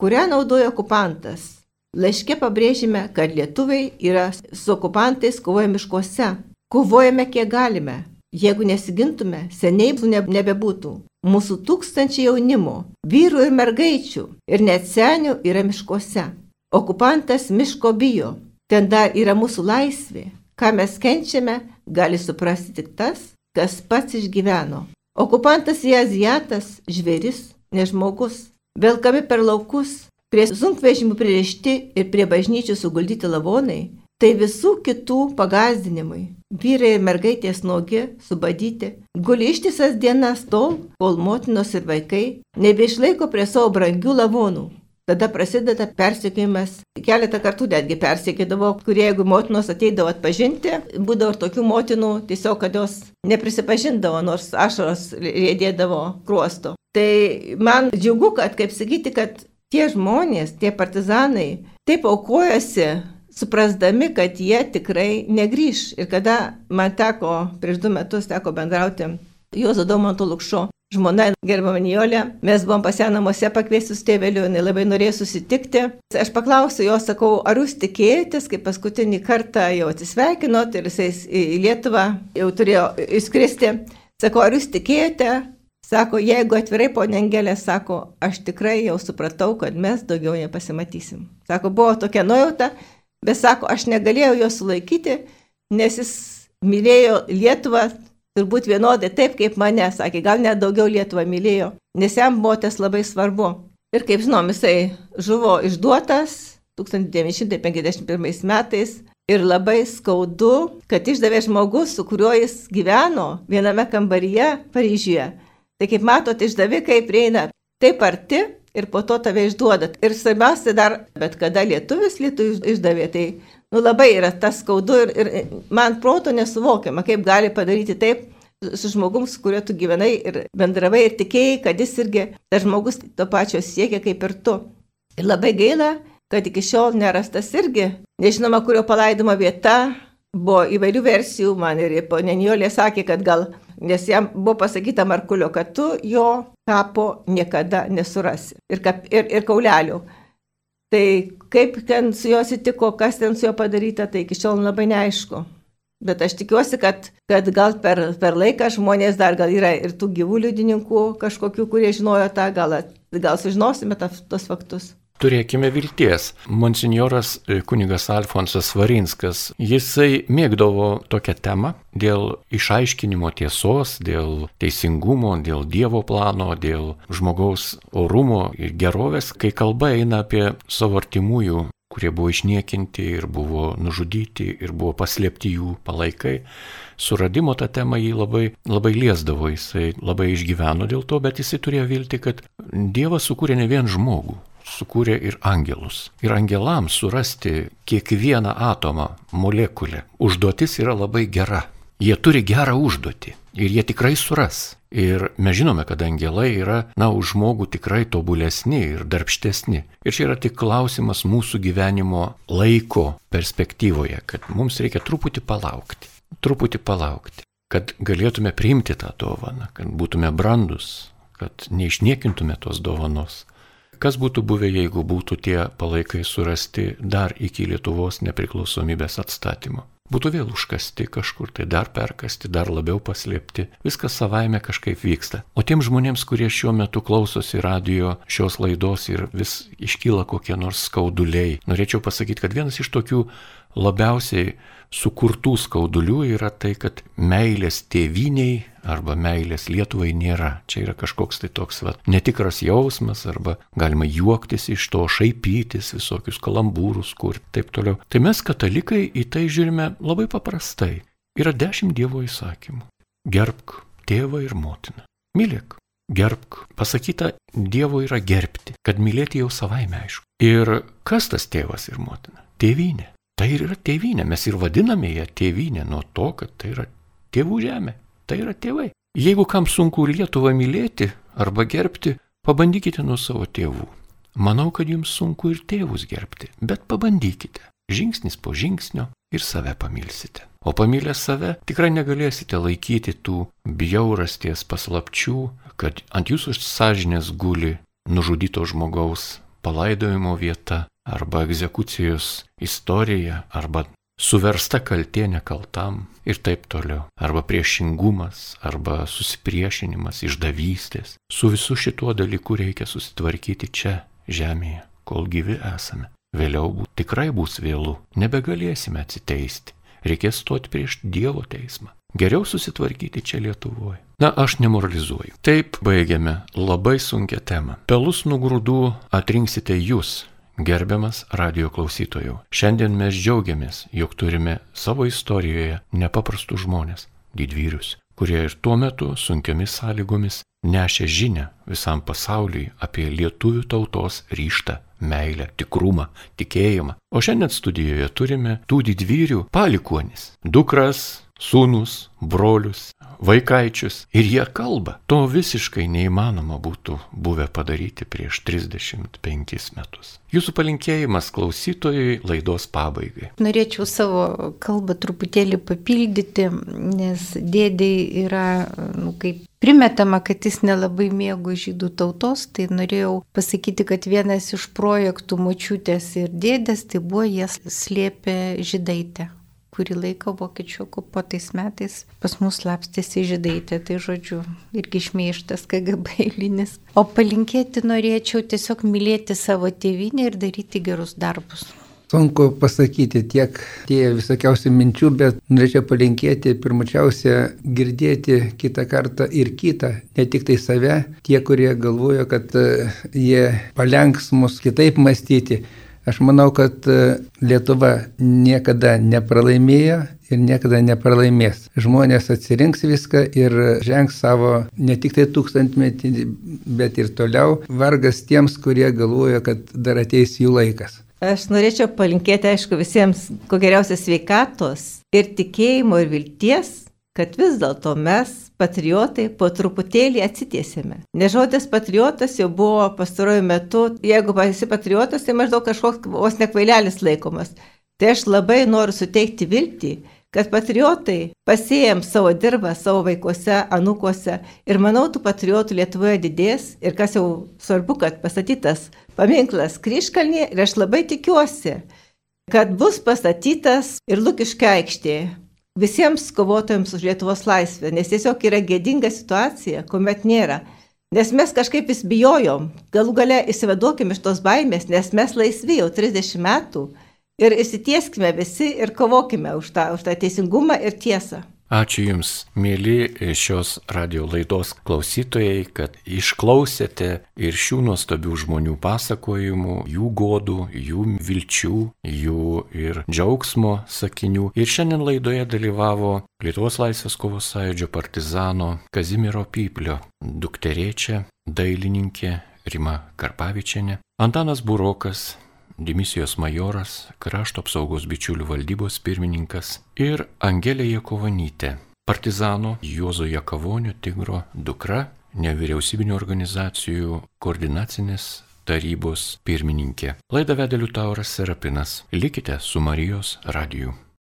kurią naudoja okupantas. Laiške pabrėžime, kad lietuviai yra su okupantais kovoja miškuose. Kovojame kiek galime. Jeigu nesigintume, seniai nebebūtų. Mūsų tūkstančiai jaunimo, vyrų ir mergaičių ir net senių yra miškuose. Okupantas miško bijo. Ten dar yra mūsų laisvė. Ką mes kenčiame, gali suprasti tik tas, kas pats išgyveno. Okupantas į azijatas, žvėris, ne žmogus. Velkami per laukus, prie sunkvežimių pririšti ir prie bažnyčių suguldyti lavonai, tai visų kitų pagąsdinimai. Vyrai ir mergaitės nuogi, subadyti, guli ištisas dienas tol, kol motinos ir vaikai nebeišlaiko prie savo brangių lavonų. Tada prasideda persekiojimas. Keletą kartų netgi persekiodavo, kurie jeigu motinos ateidavo atpažinti, būdavo ir tokių motinų, tiesiog kad jos neprisipažindavo, nors ašaros riedėdavo kruosto. Tai man džiugu, kad, kaip sakyti, kad tie žmonės, tie partizanai taip aukojosi, suprasdami, kad jie tikrai negrįš. Ir kada man teko, prieš 2 metus teko bendrauti Juozo Daumanto Lukšo žmona gerbiama Nijolė, mes buvom pas ją namuose pakviestus tėveliu, jinai labai norėjo susitikti. Aš paklausiu jo, sakau, ar jūs tikėjotės, kai paskutinį kartą jau atsisveikinot ir jisai į Lietuvą jau turėjo išskristi. Sakau, ar jūs tikėjote? Sako, jeigu atvirai, ponė Angelė, sako, aš tikrai jau supratau, kad mes daugiau nepasimatysim. Sako, buvo tokia nuojauta, bet sako, aš negalėjau jo sulaikyti, nes jis mylėjo Lietuvą turbūt vienodai taip kaip mane, sakė, gal net daugiau Lietuvą mylėjo, nes jam buvo tas labai svarbu. Ir kaip žinom, jisai žuvo išduotas 1951 metais ir labai skaudu, kad išdavė žmogus, su kuriuo jis gyveno viename kambaryje Paryžiuje. Tai kaip matot, išdavikai prieina taip arti ir po to tave išduoda. Ir svarbiausia dar, bet kada lietuvis išdavė, tai labai yra tas skaudu ir man proto nesuvokiama, kaip gali padaryti taip su žmogum, su kuriuo tu gyvenai ir bendravai ir tikėjai, kad jis irgi, tas žmogus to pačio siekia kaip ir tu. Ir labai gaila, kad iki šiol nerastas irgi, nežinoma, kurio palaidimo vieta, buvo įvairių versijų, man ir ponė Nijolė sakė, kad gal, nes jam buvo pasakyta Markulio, kad tu jo kapo niekada nesurasi ir kaulelių. Tai kaip ten su juo atsitiko, kas ten su juo padaryta, tai iki šiol labai neaišku. Bet aš tikiuosi, kad gal per laiką žmonės dar gal yra ir tų gyvų liudininkų kažkokių, kurie žinojo tą, gal sužinosime tos faktus. Turėkime vilties. Monsinjoras kunigas Alfonsas Svarinskas, jisai mėgdavo tokią temą dėl išaiškinimo tiesos, dėl teisingumo, dėl Dievo plano, dėl žmogaus orumo ir gerovės, kai kalba eina apie savo artimųjų kurie buvo išniekinti ir buvo nužudyti ir buvo paslėpti jų palaikai. Suradimo tą temą jį labai liesdavo, jisai labai išgyveno dėl to, bet jisai turėjo viltį, kad Dievas sukūrė ne vien žmogų, sukūrė ir angelus. Ir angelams surasti kiekvieną atomą, molekulę, užduotis yra labai gera. Jie turi gerą užduotį ir jie tikrai suras. Ir mes žinome, kad angelai yra, už žmogų tikrai tobulesni ir darbštesni. Ir čia yra tik klausimas mūsų gyvenimo laiko perspektyvoje, kad mums reikia truputį palaukti, kad galėtume priimti tą dovaną, kad būtume brandus, kad neišniekintume tos dovanos. Kas būtų buvę, jeigu būtų tie palaikai surasti dar iki Lietuvos nepriklausomybės atstatymo? Būtų vėl užkasti kažkur, tai dar perkasti, dar labiau paslėpti. Viskas savaime kažkaip vyksta. O tiem žmonėms, kurie šiuo metu klausosi radijo šios laidos ir vis iškyla kokie nors skauduliai, norėčiau pasakyti, kad vienas iš tokių labiausiai sukurtų skaudulių yra tai, kad meilės tėvyniai arba meilės Lietuvai nėra. Čia yra kažkoks tai toks netikras jausmas, arba galima juoktis iš to, šaipytis, visokius kalambūrus kurti, taip toliau. Tai mes katalikai į tai žiūrime labai paprastai. Yra 10 Dievo įsakymų. Gerbk tėvą ir motiną. Mylėk, gerbk. Pasakyta, Dievo yra gerbti, kad mylėti jau savaime aišku. Ir kas tas tėvas ir motina? Tėvynė. Tai yra tėvynė, mes ir vadiname ją tėvynė nuo to, kad tai yra tėvų žemė, tai yra tėvai. Jeigu kam sunku Lietuvą mylėti arba gerbti, pabandykite nuo savo tėvų. Manau, kad jums sunku ir tėvus gerbti, bet pabandykite, žingsnis po žingsnio ir save pamilsite. O pamilę save tikrai negalėsite laikyti tų bjaurasties paslapčių, kad ant jūsų sąžinės guli nužudyto žmogaus palaidojimo vieta, arba egzekucijos istorija, arba suversta kaltė nekaltam ir taip toliau. Arba priešingumas, arba susipriešinimas, išdavystės. Su visu šituo dalyku reikia susitvarkyti čia, žemėje, kol gyvi esame. Vėliau tikrai bus vėlu, nebegalėsime atsiteisti. Reikės stoti prieš Dievo teismą. Geriau susitvarkyti čia Lietuvoje. Aš nemoralizuoju. Taip baigiame labai sunkią temą. Pelus nuo grūdų atrinksite jūs, gerbiamas radijo klausytojų. Šiandien mes džiaugiamės, jog turime savo istorijoje nepaprastus žmonės, didvyrius, kurie ir tuo metu sunkiomis sąlygomis nešė žinią visam pasauliui apie lietuvių tautos ryžtą, meilę, tikrumą, tikėjimą. O šiandien studijoje turime tų didvyrių palikuonis, dukras, sūnus, brolius, vaikaičius. Ir jie kalba. To visiškai neįmanoma būtų buvę padaryti prieš 35 metus. Jūsų palinkėjimas klausytojui laidos pabaigai. Norėčiau savo kalbą truputėlį papildyti, nes dėdei yra, kaip primetama, kad jis nelabai mėgo žydų tautos, tai norėjau pasakyti, kad vienas iš projektų močiutės ir dėdės, tai buvo jie slėpė Žydaitę. Kurį laiką vokiečių okupuotais metais pas mus slapstėsi Žydaitė, tai žodžiu, irgi šmeižtas KGB eilinis. O palinkėti norėčiau tiesiog mylėti savo tėvynę ir daryti gerus darbus. Sunku pasakyti tiek tie visokiausių minčių, bet norėčiau palinkėti pirmučiausia girdėti kitą kartą ir kitą, ne tik tai save, tie, kurie galvoja, kad jie palenks mus kitaip mąstyti. Aš manau, kad Lietuva niekada nepralaimėjo ir niekada nepralaimės. Žmonės atsirinks viską ir žengs savo ne tik tai 1000-metį, bet ir toliau. Vargas tiems, kurie galvoja, kad dar ateis jų laikas. Aš norėčiau palinkėti, aišku, visiems kuo geriausios sveikatos ir tikėjimo ir vilties, kad vis dėlto mes, patriotai, po truputėlį atsitiesėme. Nes žodis patriotas jau buvo pastaruoju metu, jeigu esi patriotas, tai maždaug kažkoks vos nekvailelis laikomas. Tai aš labai noriu suteikti viltį, kad patriotai pasėjam savo dirbą savo vaikuose, anūkuose ir manau, tų patriotų Lietuvoje didės ir kas jau svarbu, kad pastatytas paminklas Kryžkalnyje ir aš labai tikiuosi, kad bus pastatytas ir Lukiškių aikštėje. Visiems kovotojams už Lietuvos laisvę, nes tiesiog yra gėdinga situacija, kuomet nėra. Nes mes kažkaip vis bijojom, galų gale įsivaduokim iš tos baimės, nes mes laisvi jau 30 metų ir įsitieskime visi ir kovokime už tą teisingumą ir tiesą. Ačiū Jums, mėly šios radio laidos klausytojai, kad išklausėte ir šių nuostabių žmonių pasakojimų, jų godų, jų vilčių, jų ir džiaugsmo sakinių. Ir šiandien laidoje dalyvavo Lietuvos Laisvės kovos sąjūdžio partizano Kazimiero Pyplio dukterėčia, dailininkė Rima Karpavičienė, Antanas Burokas, dimisijos majoras, krašto apsaugos bičiulių valdybos pirmininkas ir Angelė Jakovonytė, partizano Juozo Jakavonio Tigro dukra, nevyriausybinių organizacijų koordinacinės tarybos pirmininkė. Laidą vedė Liutauras Serapinas. Likite su Marijos radiju.